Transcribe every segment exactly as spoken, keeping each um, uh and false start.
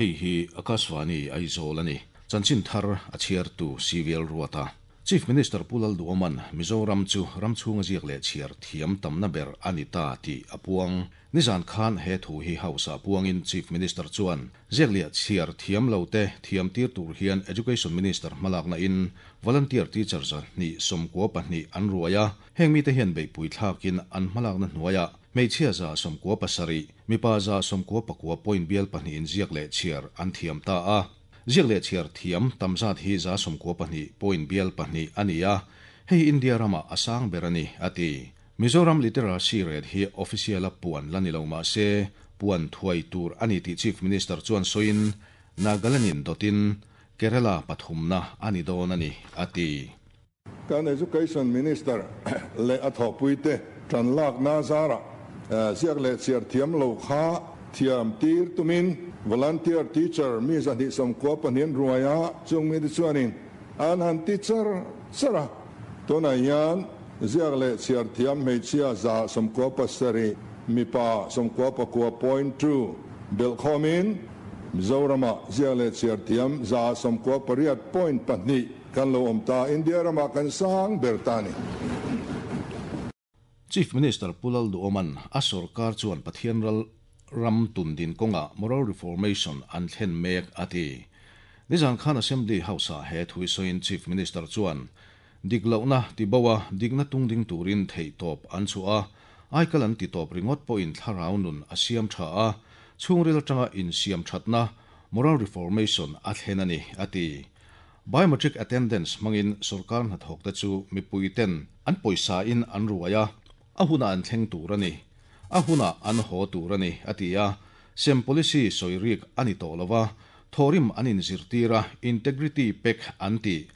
Hei hi Akashvani Aizawl ani. Chanchin thar a chhiartu C V L Ruata. Chief Minister Pu Lalduhoma'n Mizoram chu ram chhunga ziak leh chhiar thiam tamna ber a ni ta tih a puang. Nizan khan he thu hi House ah puangin Chief Minister chuan ziak leh chhiar thiam lo te thiam tir tur hian Education Minister hmalakna in volunteer teacher zahnih sawmkua pahnih an ruai a, heng mite hian beihpui thlakin an hmalakna hnuaiah hmeichhia za sawmkua pasarih, mipa za sawmkua pakua point bial pahnih in ziak leh chhiar an thiam ta a. Ziak leh chhiar thiam tamzat hi za sawmkua pahnih point bial pahnih a ni a, hei India rama a sang ber a ni, a ti. Mizoram literacy rate hi official a puan la ni lo mah se puan thuai tur a ni tih Chief Minister chuan sawiin Nagaland-in dawtin Kerala pathumna a ni dawn a ni, a ti. Kan Education Minister leh a thawhpuite tan lak na zara ziak leh chhiar thiam lo kha thiam tir tumin volunteer teacher mi zahnih sawmkua pahnih ruaia chung mi te chuanin an han teacher chara tunah hian ziak leh chhiar thiam hmeichhia za sawmkua pasarih, mipa sawmkua pakua point two belhkhawmin Mizorama ziak leh chhiar thiam za sawmkua pariat point pahnih kan lo awm ta. India rama kan sang ber ta ni. Chief Minister Pu Lalduhoma'n a sarkar chuan Pathian ral ram tundin kawnga moral reformation an thlen mek a ti. Nizan khan Assembly House ah he thui sawiin Chief Minister chuan dik lohna ti boa dikna tungding turin thei tawp an chu a, aikal an ti tawp ringawt pawhin thlarau nun a siam tha a, chhungril atanga in siam thatna moral reformation a thlen a ni, a ti. Biometric attendance hmangin sarkar hnathawk te chu mipui ten an pawisa in an ruai a, a huna an thleng tur a ni, a huna an haw tur a ni, a ti a. Sem policy sawirik ani tawh lova, thorim an in zirtira integrity pek an ti,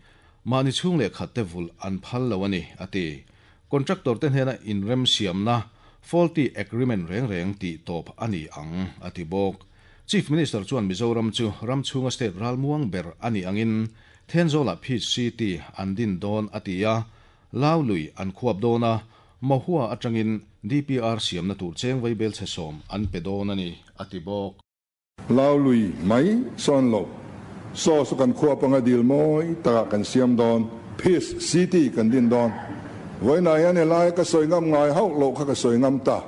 mahni chhung leh khat te vul an phal lo ani, a ti. Contractor te hnena in rem siamna faulty agreement reng reng ti tawp ani ang, a ti bawk. Chief Minister chuan Mizoram chu ram chhunga state ralmuang ber ani angin Thenzola Peace City an din dawn a ti a, Laului an khuap dawna Mahua atangin D P R siamna tur cheng vaibel che sawm an pe dawn ani, a ti bawk. Laului mai sawn lo so so kan khuap anga dil moi taka kan siam dawn, Peace City kan din dawn. Voina hian helai ka sawi ngam ngai hauh lo kha ka sawi ngam ta.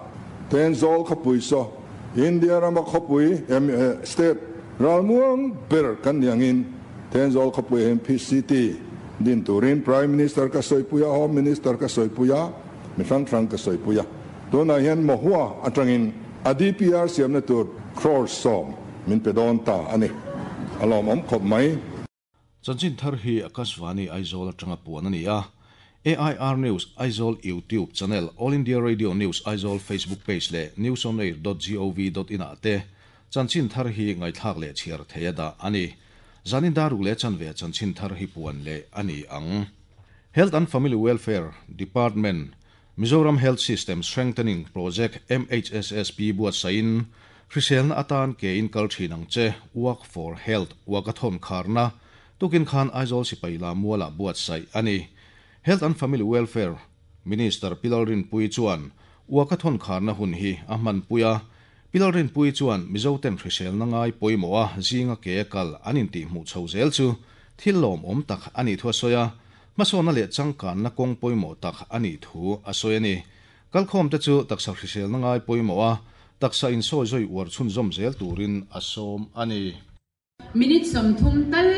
Thenzawl khawpui so India rama khawpui state ralmuang ber kan niangin Thenzawl khawpui hian Peace City din turin Prime Minister ka sawipuia, Home Minister ka sawipuia, mi hrang hrang ka sawipuia. Tunah hian Mahua atangin a D P R siamna tur crore sawm min pe dawn ta ani, alawm awm khawp mai. Chanchin thar hi Akashvani Aizawl atanga puan ani a. A I R News Aizawl YouTube channel, All India Radio News Aizawl Facebook page leh newsonair dot gov dot in ah te chanchin thar hi ngaithlak leh chhiar theia da ani. Zanin daruk leh chanve chanchin thar hi puan leh ani ang. Health and Family Welfare Department Mizoram Health System Strengthening Project M H S S P buat sain hriselna atan ke in kal thin ang che Walk for Health walkathon kharna tukin khan Aizawl sipai la muala buat sai ani. Health and Family Welfare Minister Pi Lalrinpuii chuan walkathon kharna hun hi a hman puia. Pi Lalrinpuii chuan Mizo ten hriselna ngai pawimawh a zinga ke kal an in tih hmuh chho zel chu thil lawm awm tak ani thu a sawi a, hmasawna leh changkan na kawng pawimawh tak ani thu a sawi ani. Kalkhawm te chu taksa hriselna ngai pawimawh a taksa in sawi zoi uar chhun zawm zel turin a sawm ani. Minute som thum tal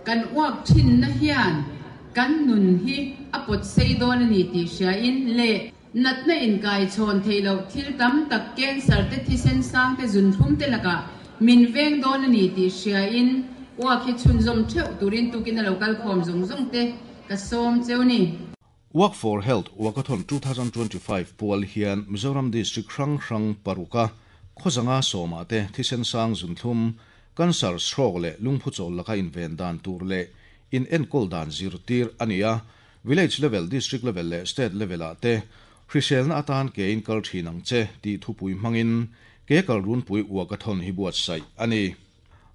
kan walk thin na hian kan nun hi a pot sei dawn ani ti hria in le natna in kai chhawn theilo thil tam tak, cancer te, thisen sang te, zun thlum te laka min veng dawn ani ti hria in walk hi chhun zawm theuh turin tukin a local khawm zawng zawng te ka sawm cheu ni. Walk for Health Walkathon twenty twenty-five pual hian Mizoram District hrang hrang paruka khawzanga sawma te thisen sang, zunthum, cancer, stroke leh lungphu chawl laka inven dan tur leh in enkol dan zirtir ania. Village level, district level leh state level ah te hriselna atan ke in kal thin ang che ti thupui hmangin ke kal run pui walkathon hi buat sai ani.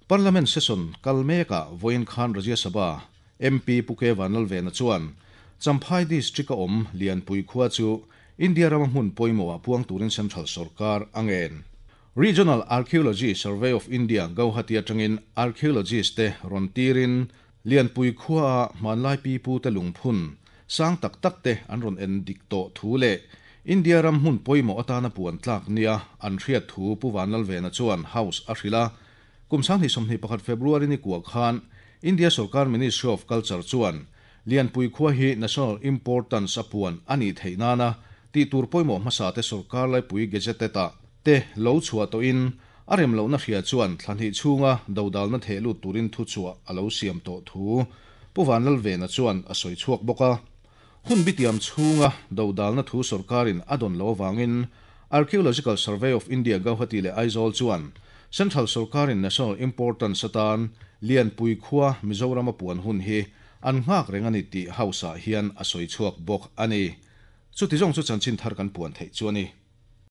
Parliament session kalmeka voin khan Rajya Sabha M P Pu K Vanlalvena chuan Champhai District a awm Lianpui khua chu India rama hmun pawimawh ah puang turin Central Sarkar angen. Regional Archaeology Survey of India Guwahati atangin archaeologist te rawn tirin Lianpui khua hmanlai pi pu te lungphun sang tak tak te an rawn en dik tawh thu leh India ram hmun pawimawh atana puan tlak nia an hriat thu Pu Vanlalvena chuan House a hrilh a. Kum sanghnih sawmhnih pakhat February ni kua khan India Sarkar Ministry of Culture chuan Lianpui khua hi national importance a puan ani theih nana tih tur pawimawh hmasa te sarkar laipui gazetted ah te lo chhuah tawhin a rem lohna hria chuan thlahnih chhunga dodalna theh lut turin thu chhuah a lo siam tawh thu Pu Vanlalvena chuan a sawi chhuak bawk a. Hun bitiam chhunga dodalna thu sarkarin a dawn lo awangin Archaeological Survey of India Guwahati leh Aizawl chuan Central Sarkarin national importance atan Lianpui khua Mizoram a puan hun hi an nghak reng ani tih House ah hian a sawi chhuak bawk ani. Chuti zawng chu chanchin thar kan puan theih chu ani.